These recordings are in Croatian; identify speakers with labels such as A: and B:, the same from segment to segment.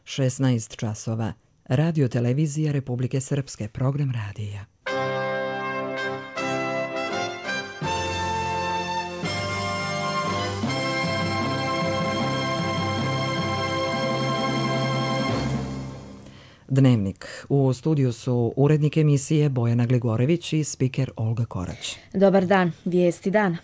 A: 16 časova. Radio televizija Republike Srpske, program radija. Dnevnik. U studiju su urednik emisije Bojana Gligorević i spiker Olga Korać.
B: Dobar dan, vijesti dana.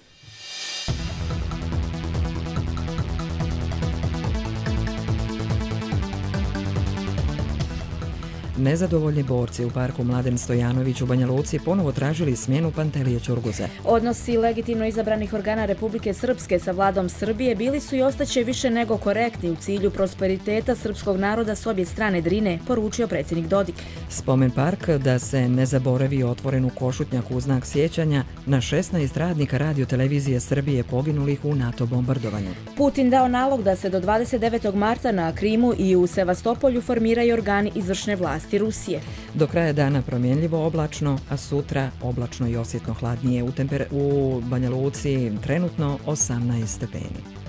A: Nezadovoljni borci u parku Mladen Stojanović u Banja Luci ponovo tražili smjenu Pantelije Ćurguze.
B: Odnosi legitimno izabranih organa Republike Srpske sa vladom Srbije bili su i ostaće više nego korektni u cilju prosperiteta srpskog naroda s obje strane Drine, poručio predsjednik Dodik.
A: Spomen park da se ne zaboravi otvoren u Košutnjaku u znak sjećanja na 16 radnika Radio televizije Srbije poginulih u NATO bombardovanju.
B: Putin dao nalog da se do 29. marta na Krimu i u Sevastopolju formiraju organi izvršne vlasti Rusije.
A: Do kraja dana promjenljivo oblačno, a sutra oblačno i osjetno hladnije. U Banja Luci trenutno 18 stepeni.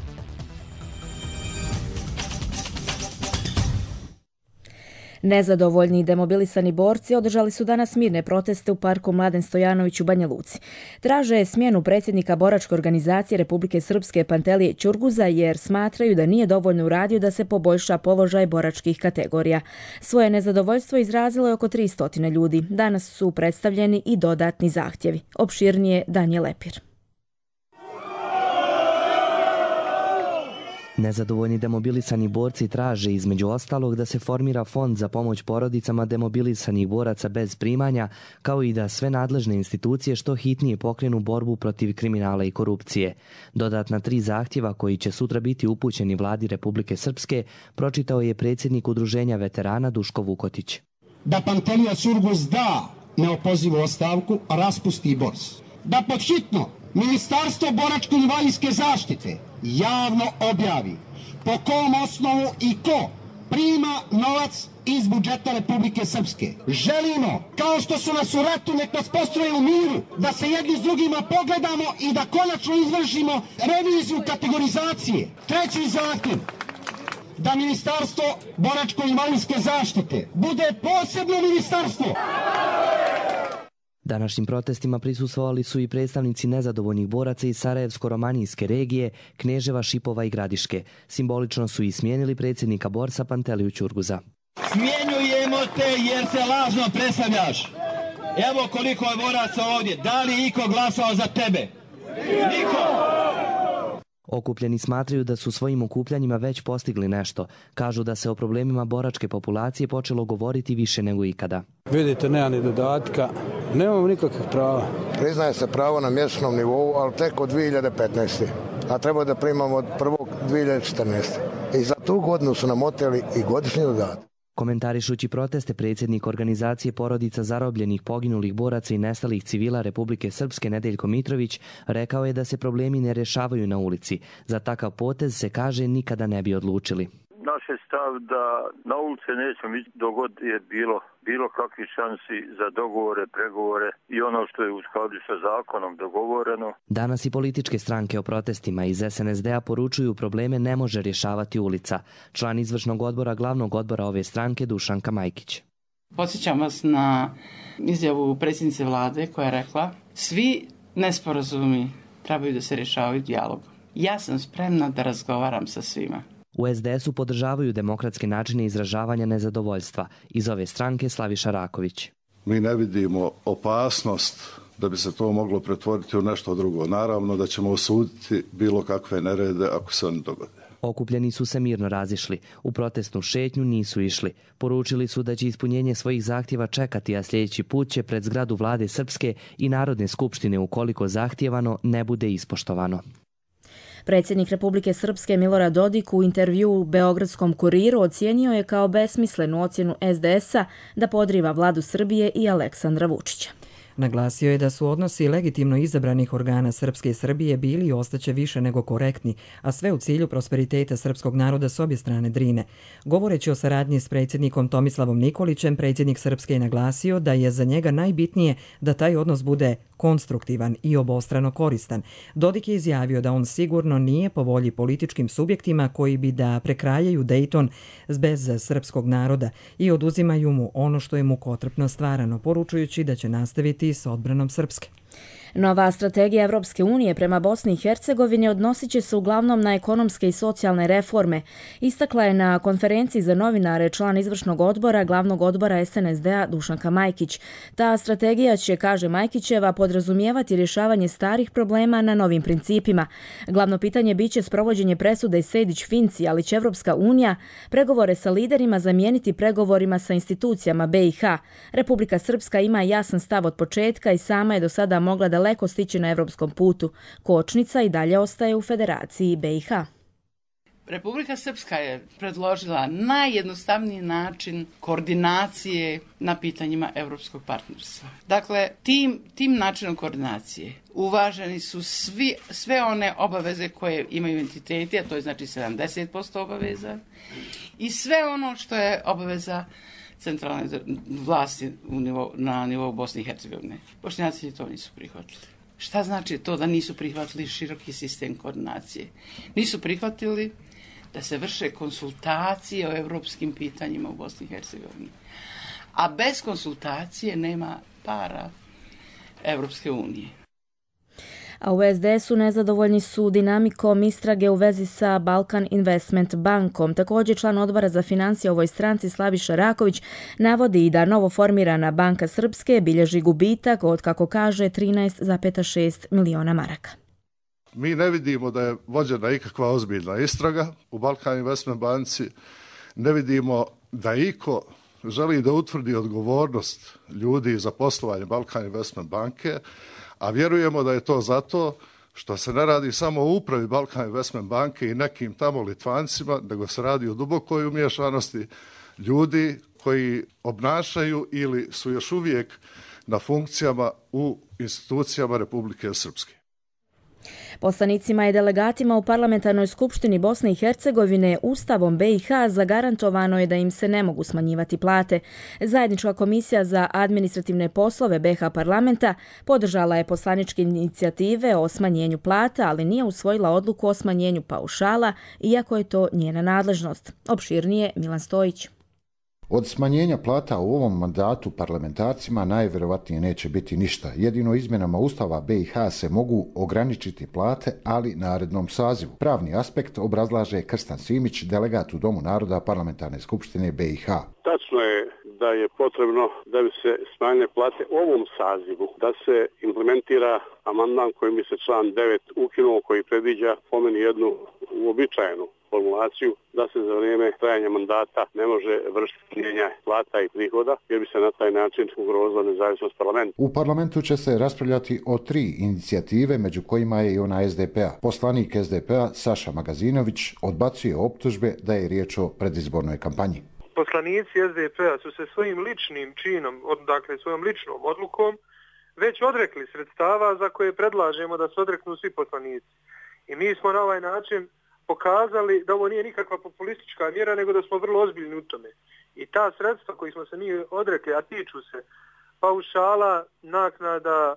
B: Nezadovoljni i demobilisani borci održali su danas mirne proteste u parku Mladen Stojanović u Banja Luci. Traže smjenu predsjednika boračke organizacije Republike Srpske Pantelije Ćurguza jer smatraju da nije dovoljno uradio da se poboljša položaj boračkih kategorija. Svoje nezadovoljstvo izrazilo je oko 300 ljudi. Danas su predstavljeni i dodatni zahtjevi. Opširnije Danje Lepir.
C: Nezadovoljni demobilisani borci traže između ostalog da se formira fond za pomoć porodicama demobilisanih boraca bez primanja, kao i da sve nadležne institucije što hitnije pokrenu borbu protiv kriminala i korupcije. Dodatna 3 zahtjeva koji će sutra biti upućeni vladi Republike Srpske pročitao je predsjednik Udruženja veterana Duško Vukotić.
D: Da Pantelija Ćurguz da neopozivu ostavku, a raspusti BORS. Da podhitno Ministarstvo boračko-invalidske zaštite javno objavi po kom osnovu i ko prima novac iz budžeta Republike Srpske. Želimo, kao što su nas u ratu, nek nas postroje u miru, da se jedni s drugima pogledamo i da konačno izvršimo reviziju kategorizacije. 3. zahtjev, da Ministarstvo boračko-invalidske zaštite bude posebno ministarstvo.
C: Današnjim protestima prisustvovali su i predstavnici nezadovoljnih boraca iz Sarajevsko-romanijske regije, Kneževa, Šipova i Gradiške. Simbolično su i smijenili predsjednika borsa Panteliju Ćurguza.
E: Smjenjujemo te jer se lažno predstavljaš. Evo koliko je boraca ovdje. Da li iko glasao za tebe? Niko!
C: Okupljeni smatraju da su svojim okupljanjima već postigli nešto. Kažu da se o problemima boračke populacije počelo govoriti više nego ikada.
F: Vidite, nema ni dodatka, nemamo nikakvih prava.
G: Priznaje se pravo na mjesečnom nivou, ali tek od 2015. A treba da primamo od 1.2014. I za tu godinu su nam oteli i godišnji dodatak.
C: Komentarišući proteste, predsjednik organizacije porodica zarobljenih, poginulih boraca i nestalih civila Republike Srpske Nedeljko Mitrović rekao je da se problemi ne rješavaju na ulici. Za takav potez se kaže nikada ne bi odlučili.
H: Naš je stav da na ulice nećemo ići dok god je bilo kakvih šansi za dogovore, pregovore i ono što je u skladu sa zakonom dogovoreno.
C: Danas i političke stranke o protestima iz SNSD-a poručuju probleme ne može rješavati ulica. Član izvršnog odbora glavnog odbora ove stranke Dušanka Majkić.
I: Podsjećam vas na izjavu predsjednice vlade koja je rekla svi nesporazumi trebaju da se rješavaju dijalogom. Ja sam spremna da razgovaram sa svima.
C: U SDS-u podržavaju demokratske načine izražavanja nezadovoljstva. Iz ove stranke Slaviša Raković.
J: Mi ne vidimo opasnost da bi se to moglo pretvoriti u nešto drugo. Naravno da ćemo osuditi bilo kakve nerede ako se oni dogode.
C: Okupljeni su se mirno razišli. U protestnu šetnju nisu išli. Poručili su da će ispunjenje svojih zahtjeva čekati, a sljedeći put će pred zgradu vlade Srpske i Narodne skupštine ukoliko zahtjevano ne bude ispoštovano.
B: Predsjednik Republike Srpske Milorad Dodik u intervju u Beogradskom kuriru ocijenio je kao besmislenu ocjenu SDS-a da podriva vladu Srbije i Aleksandra Vučića.
A: Naglasio je da su odnosi legitimno izabranih organa Srpske i Srbije bili i ostaće više nego korektni, a sve u cilju prosperiteta srpskog naroda s obje strane Drine. Govoreći o saradnji s predsjednikom Tomislavom Nikolićem, predsjednik Srpske je naglasio da je za njega najbitnije da taj odnos bude konstruktivan i obostrano koristan. Dodik je izjavio da on sigurno nije po volji političkim subjektima koji bi da prekrajaju Dejton bez srpskog naroda i oduzimaju mu ono što je mukotrpno stvarano, poručujući da će nastaviti s odbranom Srpske.
B: Nova strategija Evropske unije prema Bosni i Hercegovini odnosit će se uglavnom na ekonomske i socijalne reforme. Istakla je na konferenciji za novinare član izvršnog odbora glavnog odbora SNSD-a Dušanka Majkić. Ta strategija će, kaže Majkićeva, podrazumijevati rješavanje starih problema na novim principima. Glavno pitanje biće sprovođenje presude Sejdić-Finci, ali će Evropska unija pregovore sa liderima zamijeniti pregovorima sa institucijama BiH. Republika Srpska ima jasan stav od početka i sama je do sada mogla daleko stići na evropskom putu. Kočnica i dalje ostaje u Federaciji BiH.
I: Republika Srpska je predložila najjednostavniji način koordinacije na pitanjima evropskog partnerstva. Dakle, tim načinom koordinacije uvaženi su sve one obaveze koje imaju entiteti, a to je znači 70% obaveza, i sve ono što je obaveza centralne vlasti na nivou Bosne i Hercegovine. Bošnjaci to nisu prihvatili. Šta znači to da nisu prihvatili široki sistem koordinacije? Nisu prihvatili da se vrše konsultacije o evropskim pitanjima u Bosni i Hercegovini. A bez konsultacije nema para Evropske unije.
B: A u SDS-u nezadovoljni su dinamikom istrage u vezi sa Balkan Investment bankom. Također član odbora za financije u ovoj stranci Slaviša Raković navodi i da novo formirana Banka Srpske bilježi gubitak od, kako kaže, 13,6 miliona maraka.
J: Mi ne vidimo da je vođena ikakva ozbiljna istraga u Balkan Investment banci, ne vidimo da iko želi da utvrdi odgovornost ljudi za poslovanje Balkan Investment banke, a vjerujemo da je to zato što se ne radi samo o upravi Balkan Investment banke i nekim tamo Litvancima, nego se radi o dubokoj umiješanosti ljudi koji obnašaju ili su još uvijek na funkcijama u institucijama Republike Srpske.
B: Poslanicima i delegatima u Parlamentarnoj skupštini Bosne i Hercegovine Ustavom BiH zagarantovano je da im se ne mogu smanjivati plate. Zajednička komisija za administrativne poslove BiH parlamenta podržala je poslaničke inicijative o smanjenju plata, ali nije usvojila odluku o smanjenju paušala, iako je to njena nadležnost. Opširnije Milan Stojić.
K: Od smanjenja plata u ovom mandatu parlamentarcima najvjerovatnije neće biti ništa. Jedino izmjenama Ustava BiH se mogu ograničiti plate, ali narednom sazivu. Pravni aspekt obrazlaže Krstan Simić, delegat u Domu naroda Parlamentarne skupštine BiH.
L: Tačno je da je potrebno da bi se smanjile plate u ovom sazivu, da se implementira amandman kojim bi se član 9 ukinuo, koji predviđa po meni jednu uobičajenu formulaciju da se za vrijeme trajanja mandata ne može vršiti smanjenja plata i prihoda, jer bi se na taj način ugrozila nezavisnost parlamenta.
K: U parlamentu će se raspravljati o 3 inicijative, među kojima je i ona SDP-a. Poslanik SDP-a Saša Magazinović odbacuje optužbe da je riječ o predizbornoj kampanji.
M: Poslanici SDP-a su se svojim ličnim činom, dakle svojom ličnom odlukom, već odrekli sredstava za koje predlažemo da se odreknu svi poslanici. I mi smo na ovaj način pokazali da ovo nije nikakva populistička mjera, nego da smo vrlo ozbiljni u tome. I ta sredstva koji smo se mi odrekli, a tiču se paušala, naknada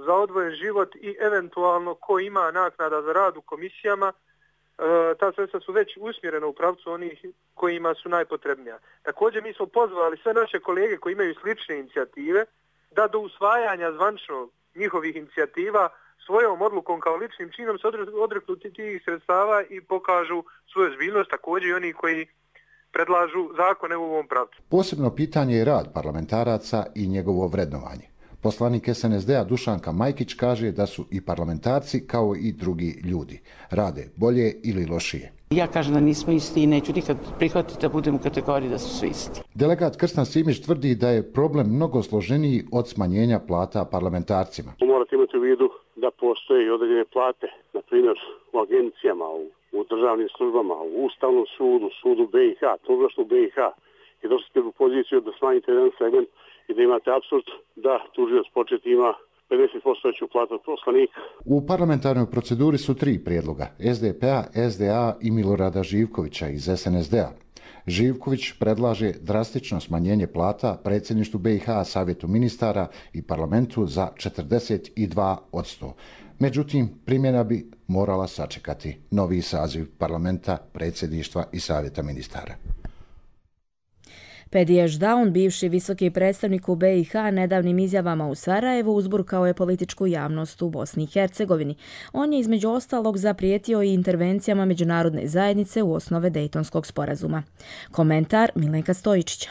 M: za odvojen život i eventualno ko ima naknada za rad u komisijama, ta sredstva su već usmjerena u pravcu onih kojima su najpotrebnija. Također mi smo pozvali sve naše kolege koji imaju slične inicijative da do usvajanja zvančno njihovih inicijativa svojom odlukom kao ličnim činom se odreknu tih sredstava i pokažu svoju ozbiljnost, također i oni koji predlažu zakone u ovom pravcu.
K: Posebno pitanje je rad parlamentaraca i njegovo vrednovanje. Poslanik SNSD-a Dušanka Majkić kaže da su i parlamentarci kao i drugi ljudi. Rade bolje ili lošije.
I: Ja kažem da nismo isti i neću nikad prihvatiti da budemo u kategoriji da su svi isti.
K: Delegat Krstan Simić tvrdi da je problem mnogo složeniji od smanjenja plata parlamentarcima.
L: Morate imati u vidu da postoje i određene plate, na primjer u agencijama, u državnim službama, u Ustavnom sudu, sudu BiH, tužilaštvu BiH. I došli ste u poziciju da smanjite jedan segment i da imate apsurd da tužioc početi ima 50% veću platu od poslanika.
K: U parlamentarnoj proceduri su 3 prijedloga SDP-a, SDA i Milorada Živkovića iz SNSD-a. Živković predlaže drastično smanjenje plata predsjedništvu BiH, Savjetu ministara i parlamentu za 42%. Međutim, primjena bi morala sačekati novi saziv parlamenta, predsjedništva i Savjeta ministara.
B: Pedi Ešdaun, bivši visoki predstavnik u BiH, nedavnim izjavama u Sarajevu uzburkao je političku javnost u Bosni i Hercegovini. On je između ostalog zaprijetio i intervencijama međunarodne zajednice u osnove Dejtonskog sporazuma. Komentar Milenka Stojičića.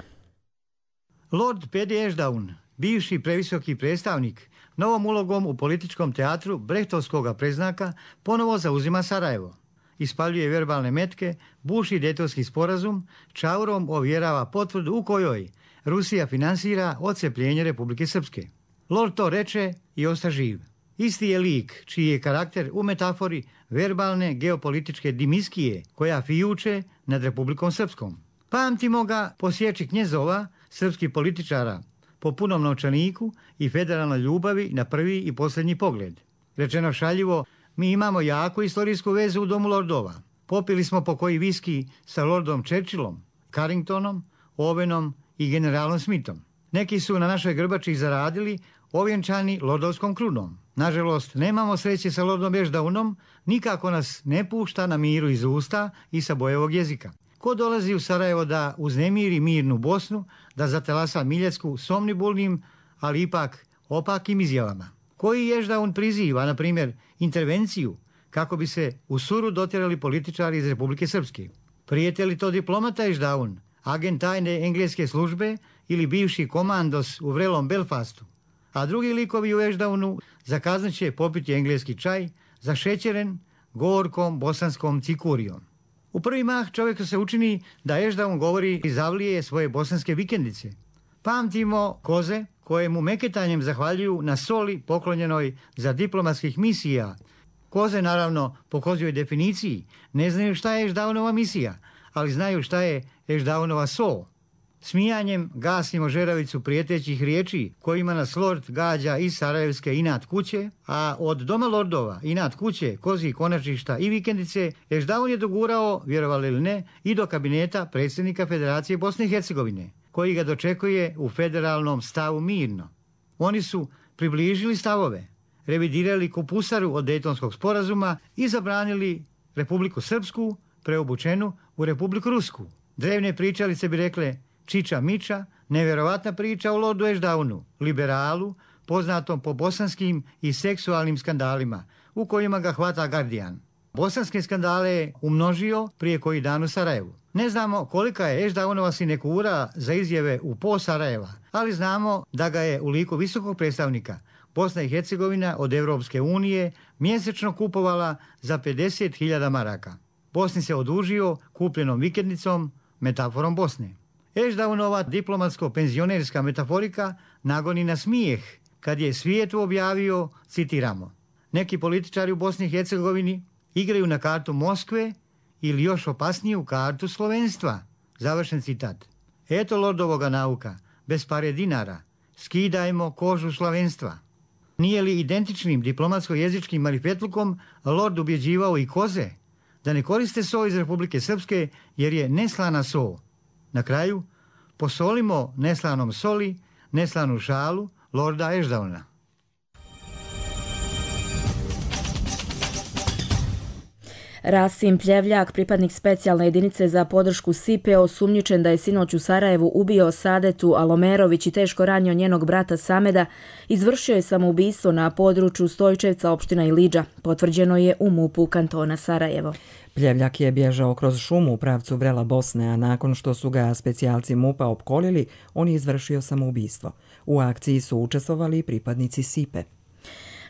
N: Lord Pedi Ešdaun, bivši previsoki predstavnik, novom ulogom u političkom teatru brehtovskog preznaka ponovo zauzima Sarajevo. Ispaljuje verbalne metke, buši Dejtonski sporazum, čaurom ovjerava potvrdu u kojoj Rusija finansira odcepljenje Republike Srpske. Lord to reče i osta živ. Isti je lik čiji je karakter u metafori verbalne geopolitičke dimiskije koja fijuče nad Republikom Srpskom. Pamtimo ga po sječi knjezova, srpskih političara, po punom novčaniku i federalnoj ljubavi na prvi i posljednji pogled. Rečeno šaljivo, mi imamo jaku istorijsku vezu u domu lordova. Popili smo po koji viski sa lordom Churchillom, Carringtonom, Owenom i generalom Smithom. Neki su na našoj grbači zaradili ovjenčani lordovskom krunom. Nažalost, nemamo sreće sa lordom Ešdaunom, nikako nas ne pušta na miru iz usta i sa bojevog jezika. Ko dolazi u Sarajevo da uznemiri mirnu Bosnu, da zatelasa Miljecku somnibulnim, ali ipak opakim izjavama? Koji Ešdaun priziva, na primjer, intervenciju kako bi se u Suru dotjerali političari iz Republike Srpske? Prijete li to diplomata Ešdaun, agent tajne engleske službe ili bivši komandos u vrelom Belfastu? A drugi likovi u Ešdaunu zakazat će popiti engleski čaj zašećeren gorkom bosanskom cikurijom. U prvi mah čovjeku se učini da Ešdaun govori i zavlije svoje bosanske vikendice. Pamtimo koze koje mu meketanjem zahvaljuju na soli poklonjenoj za diplomatskih misija. Koze, naravno, po kozjoj definiciji ne znaju šta je Ešdaunova misija, ali znaju šta je Ešdaunova sol. Smijanjem gasimo žeravicu prijetećih riječi kojima nas lord gađa iz Sarajevske inat kuće, a od doma lordova, inat kuće, kozji konačišta i vikendice Ešdaun je dogurao, vjerovali ili ne, i do kabineta predsjednika Federacije Bosne i Hercegovine, koji ga dočekuje u federalnom stavu mirno. Oni su približili stavove, revidirali kupusaru od Dejtonskog sporazuma i zabranili Republiku Srpsku, preobučenu u Republiku Rusku. Drevne pričalice bi rekle Čiča Miča, nevjerovatna priča o lordu Ešdaunu, liberalu, poznatom po bosanskim i seksualnim skandalima, u kojima ga hvata Guardian. Bosanske skandale je umnožio prije koji dan u Sarajevu. Ne znamo kolika je Ešdaunova sinekura za izjave u po Sarajeva, ali znamo da ga je u liku visokog predstavnika Bosna i Hercegovina od Evropske unije mjesečno kupovala za 50.000 maraka. Bosni se odužio kupljenom vikendicom, metaforom Bosne. Ešdaunova diplomatsko-penzionerska metaforika nagoni na smijeh kad je svijetu objavio, citiramo, neki političari u Bosni i Hercegovini igraju na kartu Moskve ili još opasniju kartu slovenstva. Završen citat. Eto lordovoga nauka, bez pare dinara, skidajmo kožu slovenstva. Nije li identičnim diplomatsko-jezičkim marifetlukom lord ubjeđivao i koze da ne koriste so iz Republike Srpske jer je neslana so? Na kraju, posolimo neslanom soli, neslanu šalu lorda Ešdauna.
B: Rasim Pljevljak, pripadnik specijalne jedinice za podršku SIPE, osumnjičen da je sinoć u Sarajevu ubio Sadetu Alomerović i teško ranio njenog brata Sameda, izvršio je samoubistvo na području Stojčevca, opština Ilidža. Potvrđeno je u MUP-u kantona Sarajevo.
A: Pljevljak je bježao kroz šumu u pravcu Vrela Bosne, a nakon što su ga specijalci MUP-a opkolili, on je izvršio samoubistvo. U akciji su učestvovali i pripadnici SIPE.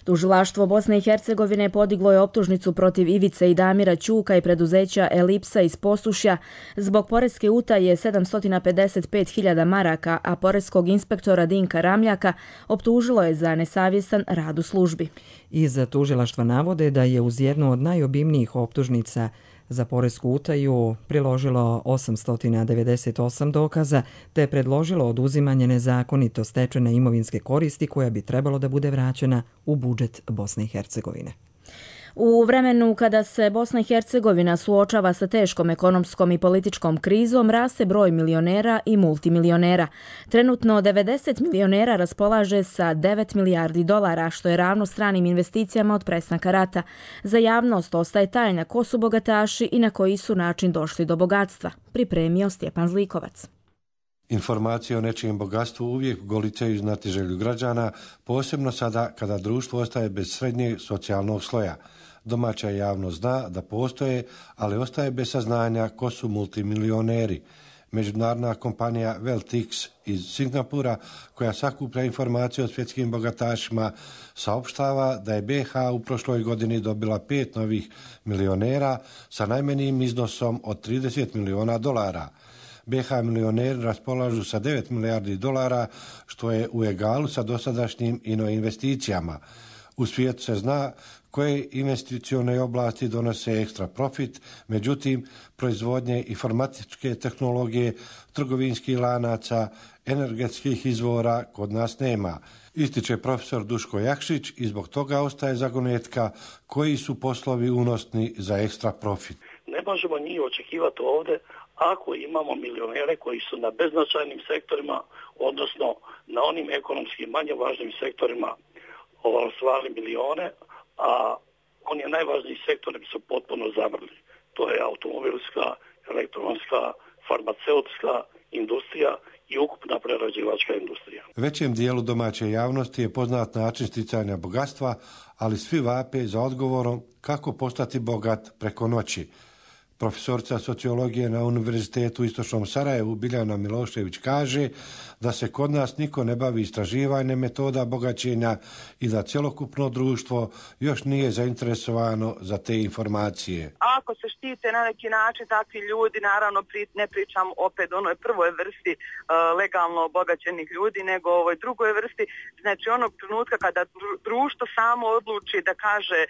B: Tužilaštvo Bosne i Hercegovine podiglo je optužnicu protiv Ivice i Damira Ćuka i preduzeća Elipsa iz Posušja zbog poreske utaje 755.000 maraka, a poreskog inspektora Dinka Ramljaka optužilo je za nesavjestan rad u službi.
A: Iz tužilaštva navode da je uz jednu od najobimnijih optužnica za poresku utaju priložilo 898 dokaza te predložilo oduzimanje nezakonito stečene imovinske koristi koja bi trebalo da bude vraćena u budžet Bosne i Hercegovine.
B: U vremenu kada se Bosna i Hercegovina suočava sa teškom ekonomskom i političkom krizom, raste broj milionera i multimilionera. Trenutno 90 milionera raspolaže sa 9 milijardi dolara, što je ravno stranim investicijama od prestanka rata. Za javnost ostaje tajna ko su bogataši i na koji su način došli do bogatstva, pripremio Stjepan Zlikovac.
O: Informacije o nečijem bogatstvu uvijek golicaju znatiželju građana, posebno sada kada društvo ostaje bez srednjeg socijalnog sloja. Domaća javnost zna da postoje, ali ostaje bez saznanja ko su multimilioneri. Međunarodna kompanija Weltix iz Singapura, koja sakuplja informacije o svjetskim bogatašima, saopštava da je BiH u prošloj godini dobila 5 novih milionera sa najmanjim iznosom od 30 miliona dolara. BiH milioneri raspolažu sa 9 milijardi dolara, što je u egalu sa dosadašnjim investicijama. U svijetu se zna koje investicione oblasti donose ekstra profit, međutim, proizvodnje informatičke tehnologije, trgovinskih lanaca, energetskih izvora kod nas nema. Ističe profesor Duško Jakšić i zbog toga ostaje zagonetka koji su poslovi unosni za ekstra profit.
P: Ne možemo njih očekivati ovdje ako imamo milionere koji su na beznačajnim sektorima, odnosno na onim ekonomski manje važnim sektorima osvajali milione, a oni najvažniji sektori su potpuno zamrli. To je automobilska, elektronska, farmaceutska industrija i ukupna prerađivačka industrija.
O: Većem dijelu domaće javnosti je poznat način sticanja bogatstva, ali svi vape za odgovorom kako postati bogat preko noći. Profesorica sociologije na Univerzitetu u Istočnom Sarajevu Biljana Milošević kaže da se kod nas niko ne bavi istraživanjem metoda bogaćenja i da cjelokupno društvo još nije zainteresovano za te informacije.
Q: Ako se štite na neki način takvi ljudi, naravno ne pričam opet o onoj prvoj vrsti legalno obogaćenih ljudi, nego o ovoj drugoj vrsti, znači onog trenutka kada društvo samo odluči da kaže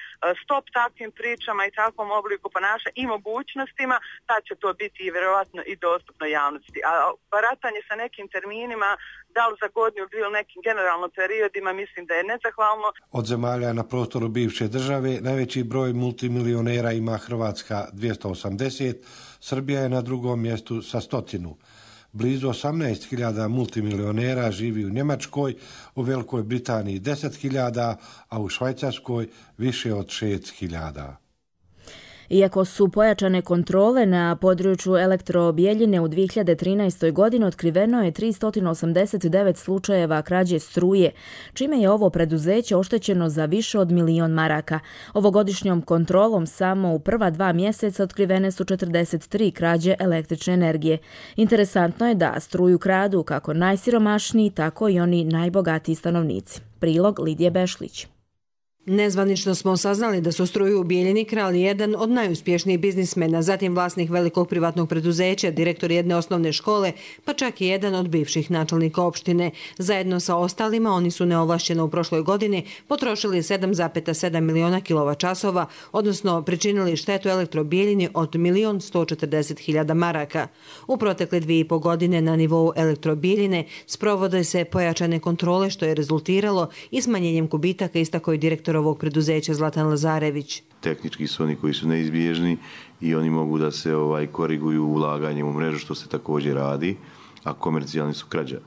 Q: stop takvim pričama i takvom obliku ponašanja i mogućnostima, tad će to biti i vjerovatno i dostupno javnosti. A baratanje sa nekim terminima, da li za godinu ili nekim generalno periodima, mislim da je nezahvalno.
O: Od zemalja na prostoru bivše države najveći broj multimilionera ima Hrvatska 280, Srbija je na drugom mjestu sa 100. Blizu 18.000 multimilionera živi u Njemačkoj, u Velikoj Britaniji 10.000, a u Švajcarskoj više od 6.000.
B: Iako su pojačane kontrole na području Elektrobijeljine u 2013. godini, otkriveno je 389 slučajeva krađe struje, čime je ovo preduzeće oštećeno za više od 1.000.000 maraka. Ovogodišnjom kontrolom samo u prva 2 mjeseca otkrivene su 43 krađe električne energije. Interesantno je da struju kradu kako najsiromašniji, tako i oni najbogatiji stanovnici. Prilog Lidije Bešlić.
R: Nezvanično smo saznali da su struju u Bijeljini krali jedan od najuspješnijih biznismena, zatim vlasnik velikog privatnog preduzeća, direktor jedne osnovne škole, pa čak i jedan od bivših načelnika opštine. Zajedno sa ostalima oni su neovlašćeno u prošloj godini potrošili 7,7 miliona kilovat-časova, odnosno pričinili štetu Elektrobijeljini od 1.140.000 maraka. U protekle 2,5 godine na nivou Elektrobijeljine sprovode se pojačane kontrole, što je rezultiralo i smanjenjem gubitaka, istakao je direktor ovog preduzeća Zlatan Lazarević.
S: Tehnički su oni koji su neizbježni i oni mogu da se koriguju ulaganjem u mrežu, što se također radi, a komercijalni su krađa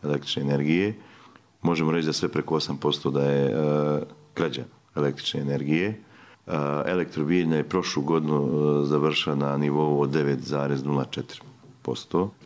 S: električne energije. Možemo reći da sve preko 8% da je krađa električne energije. Elektrobijeljina je prošlu godinu završila na nivou od 9,04%.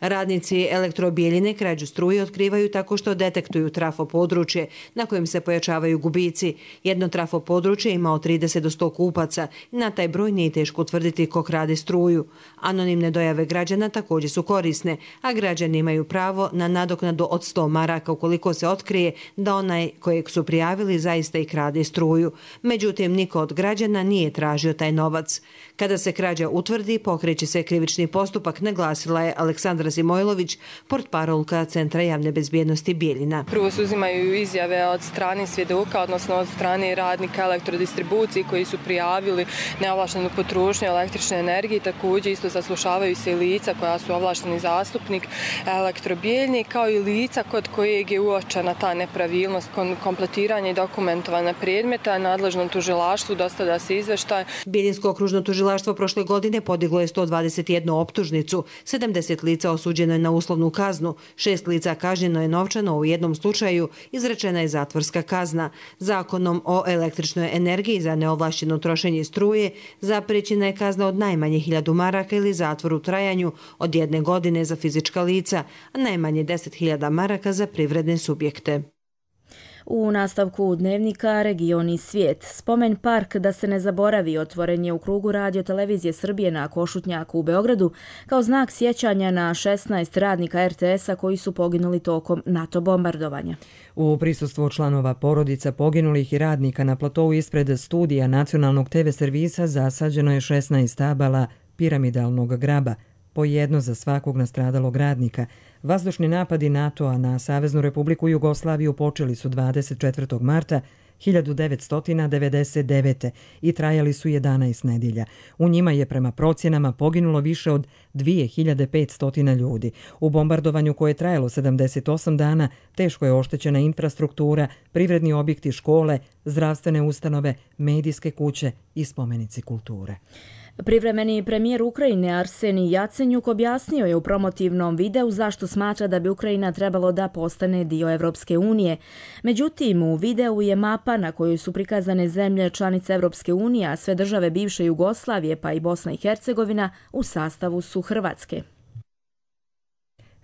R: Radnici Elektrobijeljine krađu struje otkrivaju tako što detektuju trafo područje na kojem se pojačavaju gubici. Jedno trafo područje ima od 30 do 100 kupaca. Na taj broj nije teško utvrditi ko krade struju. Anonimne dojave građana također su korisne, a građani imaju pravo na nadoknadu od 100 maraka ukoliko se otkrije da onaj kojeg su prijavili zaista i krade struju. Međutim, niko od građana nije tražio taj novac. Kada se krađa utvrdi, pokreće se krivični postupak, naglasila je Aleksandra Zimojlović, portparolka Centra javne bezbjednosti Bijeljina.
T: Prvo se uzimaju izjave od strane svjedoka, odnosno od strane radnika elektrodistribucije koji su prijavili neovlaštenu potrošnju električne energije. Također isto saslušavaju se i lica koja su ovlašteni zastupnik Elektrobijeljni, kao i lica kod kojeg je uočena ta nepravilnost kompletiranja i dokumentovanja predmeta. Nadležnom tužilaštvu dostavlja se izveštaj.
R: Bijeljinsko okružno tužilaštvo prošle godine podiglo je 121 optužnicu, 70 lica osuđeno je na uslovnu kaznu, 6 lica kažnjeno je novčano, u jednom slučaju izrečena je zatvorska kazna. Zakonom o električnoj energiji za neovlašćeno trošenje struje zapriječena je kazna od najmanje 1000 maraka ili zatvor u trajanju od 1 godine za fizička lica, a najmanje 10.000 maraka za privredne subjekte.
B: U nastavku dnevnika Region i svijet. Spomen park da se ne zaboravi otvoren je u krugu Radio televizije Srbije na Košutnjaku u Beogradu kao znak sjećanja na 16 radnika RTS-a koji su poginuli tokom NATO bombardovanja.
A: U prisustvu članova porodica poginulih i radnika na platovu ispred studija nacionalnog TV servisa zasađeno je 16 stabala piramidalnog graba, po jedno za svakog nastradalog radnika. Vazdušni napadi NATO-a na Saveznu Republiku Jugoslaviju počeli su 24. marta 1999. i trajali su 11 nedjelja. U njima je prema procjenama poginulo više od 2500 ljudi. U bombardovanju koje je trajalo 78 dana teško je oštećena infrastruktura, privredni objekti, škole, zdravstvene ustanove, medijske kuće i spomenici kulture.
B: Privremeni premijer Ukrajine Arsenij Jacenjuk objasnio je u promotivnom videu zašto smatra da bi Ukrajina trebalo da postane dio Evropske unije. Međutim, u videu je mapa na kojoj su prikazane zemlje članice Evropske unije, a sve države bivše Jugoslavije pa i Bosna i Hercegovina u sastavu su Hrvatske.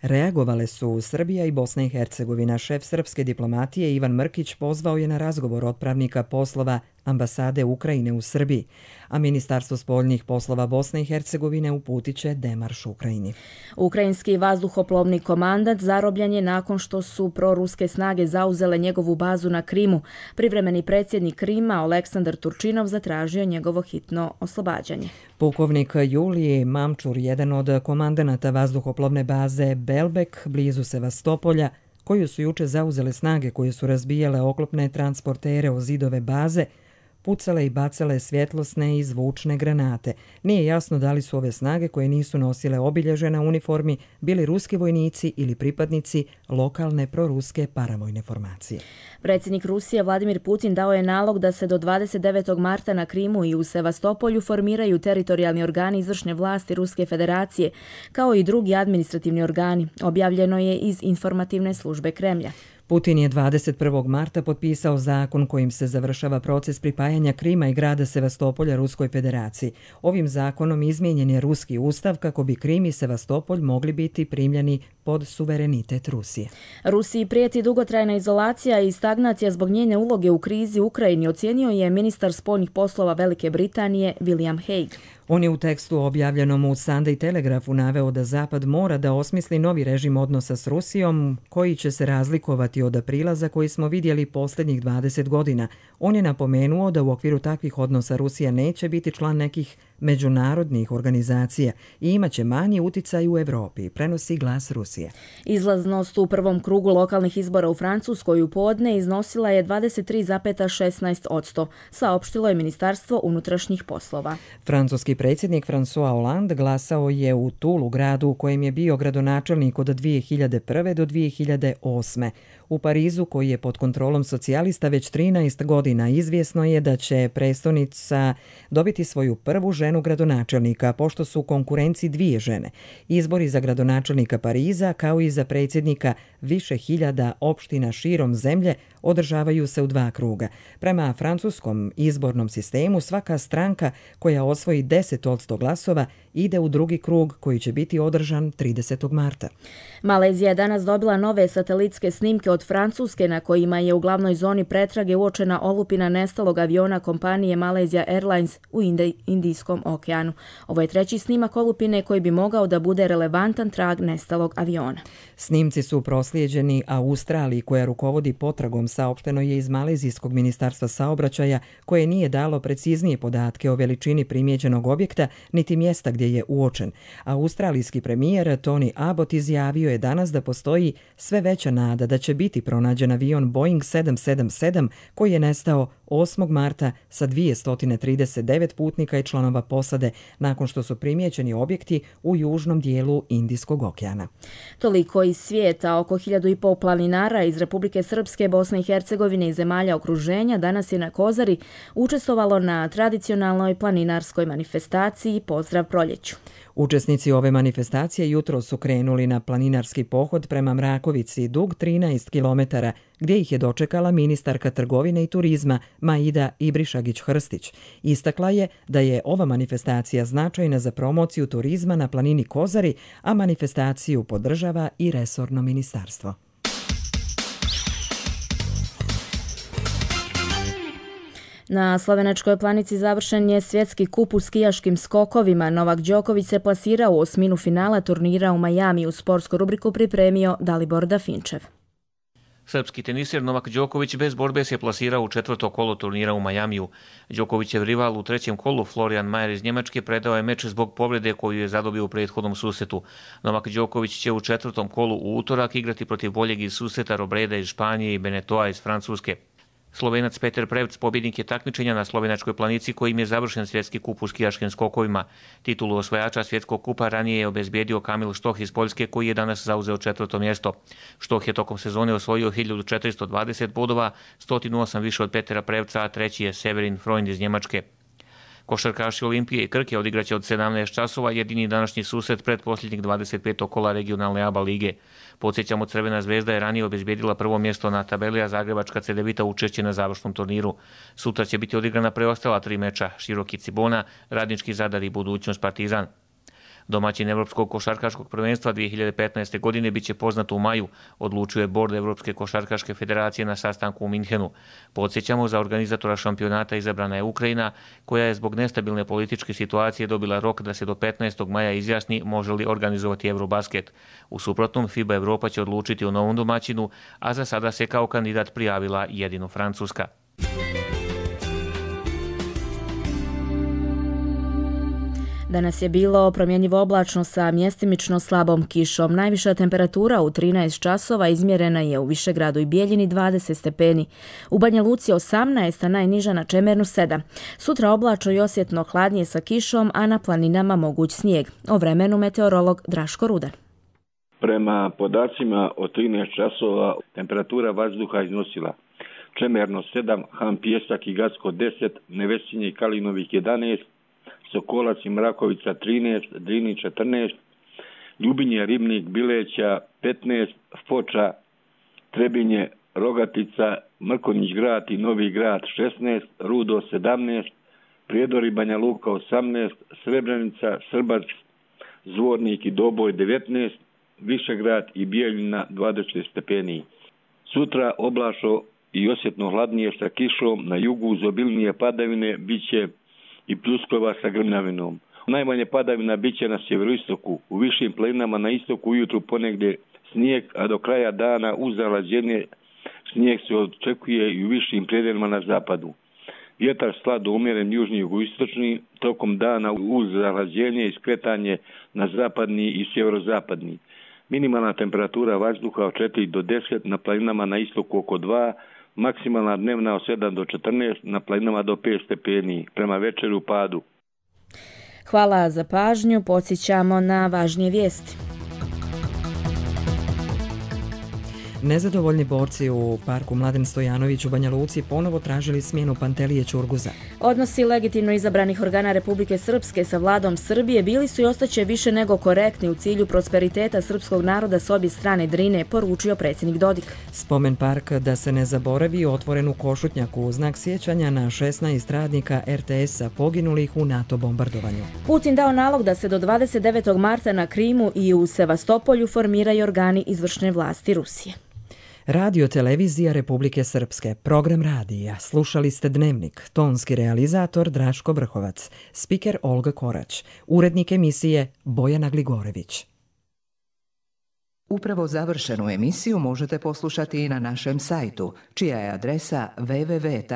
A: Reagovale su Srbija i Bosna i Hercegovina. Šef srpske diplomatije Ivan Mrkić pozvao je na razgovor otpravnika poslova ambasade Ukrajine u Srbiji, a Ministarstvo spoljnih poslova Bosne i Hercegovine uputit će demarš Ukrajini.
B: Ukrajinski vazduhoplovni komandant zarobljen je nakon što su proruske snage zauzele njegovu bazu na Krimu. Privremeni predsjednik Krima Oleksandar Turčinov zatražio njegovo hitno oslobađanje.
A: Pukovnik Julije Mamčur, jedan od komandanata vazduhoplovne baze Belbek blizu Sevastopolja, koju su juče zauzele snage koje su razbijale oklopne transportere o zidove baze, pucale i bacale svjetlosne i zvučne granate. Nije jasno da li su ove snage koje nisu nosile obilježe na uniformi bili ruski vojnici ili pripadnici lokalne proruske paravojne formacije.
B: Predsjednik Rusije Vladimir Putin dao je nalog da se do 29. marta na Krimu i u Sevastopolju formiraju teritorijalni organi izvršne vlasti Ruske federacije, kao i drugi administrativni organi. Objavljeno je iz informativne službe Kremlja.
A: Putin je 21. marta potpisao zakon kojim se završava proces pripajanja Krima i grada Sevastopolja Ruskoj federaciji. Ovim zakonom izmijenjen je ruski ustav kako bi Krim i Sevastopolj mogli biti primljeni pod suverenitet Rusije.
B: Rusiji prijeti dugotrajna izolacija i stagnacija zbog njene uloge u krizi u Ukrajini, ocijenio je ministar spoljnih poslova Velike Britanije William Hague.
A: On je u tekstu objavljenom u Sunday Telegraphu naveo da Zapad mora da osmisli novi režim odnosa s Rusijom koji će se razlikovati od aprila za koji smo vidjeli posljednjih 20 godina. On je napomenuo da u okviru takvih odnosa Rusija neće biti član nekih međunarodnih organizacija i imaće manji uticaj u Evropi, prenosi Glas Rusije.
B: Izlaznost u prvom krugu lokalnih izbora u Francuskoj u podne iznosila je 23,16%, saopštilo je Ministarstvo unutrašnjih poslova.
A: Francuski predsjednik François Hollande glasao je u Tulu, gradu u kojem je bio gradonačelnik od 2001. do 2008. U Parizu, koji je pod kontrolom socijalista već 13 godina, izvjesno je da će prestonica dobiti svoju prvu ženu gradonačelnika, pošto su u konkurenciji 2 žene. Izbori za gradonačelnika Pariza, kao i za predsjednika više hiljada opština širom zemlje, održavaju se u 2 kruga. Prema francuskom izbornom sistemu, svaka stranka koja osvoji 10% glasova ide u drugi krug koji će biti održan 30. marta.
B: Malezija je danas dobila nove satelitske snimke od Francuske na kojima je u glavnoj zoni pretrage uočena olupina nestalog aviona kompanije Malaysia Airlines u Indijskom Indijskom okeanu. Ovo je treći snimak olupine koji bi mogao da bude relevantan trag nestalog aviona.
A: Snimci su proslijeđeni Australiji koja rukovodi potragom, saopšteno je iz Malezijskog ministarstva saobraćaja koje nije dalo preciznije podatke o veličini primijećenog objekta niti mjesta gdje je uočen. Australijski premijer Tony Abbott izjavio je danas da postoji sve veća nada da će biti pronađen avion Boeing 777 koji je nestao 8. marta sa 239 putnika i članova posade nakon što su primijećeni objekti u južnom dijelu Indijskog okeana.
B: Toliko iz svijeta. Oko 1500 planinara iz Republike Srpske, Bosne i Hercegovine i zemalja okruženja danas je na Kozari učestvovalo na tradicionalnoj planinarskoj manifestaciji Pozdrav proljeću.
A: Učesnici ove manifestacije jutro su krenuli na planinarski pohod prema Mrakovici, dug 13 km, gdje ih je dočekala ministarka trgovine i turizma Maida Ibrišagić-Hrstić. Istakla je da je ova manifestacija značajna za promociju turizma na planini Kozari, a manifestaciju podržava i resorno ministarstvo.
B: Na slovenačkoj planici završen je svjetski kup u skijaškim skokovima. Novak Đoković se plasirao u osminu finala turnira u Majami. U sportsku rubriku pripremio Dalibor Dafinčev.
U: Srpski tenisir Novak Đoković bez borbe se plasirao u četvrto kolo turnira u Majamiju. Đokovićev rival u trećem kolu Florian Mayer iz Njemačke predao je meč zbog povrede koju je zadobio u prethodnom susretu. Novak Đoković će u četvrtom kolu u utorak igrati protiv boljeg iz susreta Robreda iz Španije i Benetoa iz Francuske. Slovenac Peter Prevc pobjednik je takmičenja na slovenačkoj planici kojim je završen svjetski kup u skijaškim skokovima. Titulu osvajača svjetskog kupa ranije je obezbijedio Kamil Štoh iz Poljske koji je danas zauzeo četvrto mjesto. Štoh je tokom sezone osvojio 1420 bodova, 108 više od Petera Prevca, a treći je Severin Freund iz Njemačke. Košarkaši Olimpije i Krke odigraće od 17 časova jedini današnji susret pred posljednjeg 25. kola regionalne ABA lige. Podsjećamo, Crvena zvezda je ranije obezbijedila prvo mjesto na tabeli, a Zagrebačka Cedevita učešće na završnom turniru. Sutra će biti odigrana preostala 3 meča, Široki Cibona, Radnički Zadar i Budućnost Partizan. Domaćin Evropskog košarkaškog prvenstva 2015. godine biće poznat u maju, odlučuje Bord Evropske košarkaške federacije na sastanku u Minhenu. Podsjećamo, za organizatora šampionata izabrana je Ukrajina, koja je zbog nestabilne političke situacije dobila rok da se do 15. maja izjasni može li organizovati Eurobasket. U suprotnom, FIBA Evropa će odlučiti o novom domaćinu, a za sada se kao kandidat prijavila jedino Francuska.
B: Danas je bilo promjenjivo oblačno sa mjestimično slabom kišom. Najviša temperatura u 13 časova izmjerena je u Višegradu i Bijeljini 20 stepeni. U Banja Luci 18, a najniža na Čemernu 7. Sutra oblačno i osjetno hladnije sa kišom, a na planinama moguć snijeg. O vremenu meteorolog Draško Rudan.
V: Prema podacima od 13 časova temperatura vazduha iznosila Čemerno 7, Han Pijesak i Gacko 10, Nevesinje i Kalinovih 11, Sokolac i Mrakovica 13, Drini 14, Ljubinje, Ribnik, Bileća 15, Foča, Trebinje, Rogatica, Mrkonjić Grad i Novi Grad 16, Rudo 17, Prijedor i Banja Luka 18, Srebrenica, Srbac, Zvornik i Doboj 19, Višegrad i Bijeljina 20 stepeni. Sutra oblačno i osjetno hladnije sa kišom, na jugu uz obilnije padavine biće i pljuskova sa grmljavinom. Najmanje padavina biće na sjeveroistoku, u višim planinama na istoku ujutru ponegdje snijeg, a do kraja dana uz zalađenje snijeg se očekuje i u višim predjelima na zapadu. Vjetar slabo umjeren južni jugoistočni, tokom dana uz zalađenje i skretanje na zapadni i sjeverozapadni. Minimalna temperatura vazduha od 4 do 10, na planinama na istoku oko 2, maksimalna dnevna od 7 do 14, na planinama do 5 stepeni, prema večeru u padu.
B: Hvala za pažnju, podsjećamo na važnije vijesti.
A: Nezadovoljni borci u parku Mladen Stojanović u Banja Luci ponovo tražili smjenu Pantelije Ćurguza.
B: Odnosi legitimno izabranih organa Republike Srpske sa vladom Srbije bili su i ostaće više nego korektni u cilju prosperiteta srpskog naroda s obje strane Drine, poručio predsjednik Dodik.
A: Spomen park da se ne zaboravi otvoren u Košutnjaku u znak sjećanja na 16 radnika RTS-a poginulih u NATO bombardovanju.
B: Putin dao nalog da se do 29. marta na Krimu i u Sevastopolju formiraju organi izvršne vlasti Rusije.
A: Radio Televizija Republike Srpske, program radija. Slušali ste Dnevnik, tonski realizator Draško Vrhovac, spiker Olga Korać, urednik emisije Bojana Gligorević.
D: Upravo završenu emisiju možete poslušati i na našem sajtu, čija je adresa www.rtrs.tv.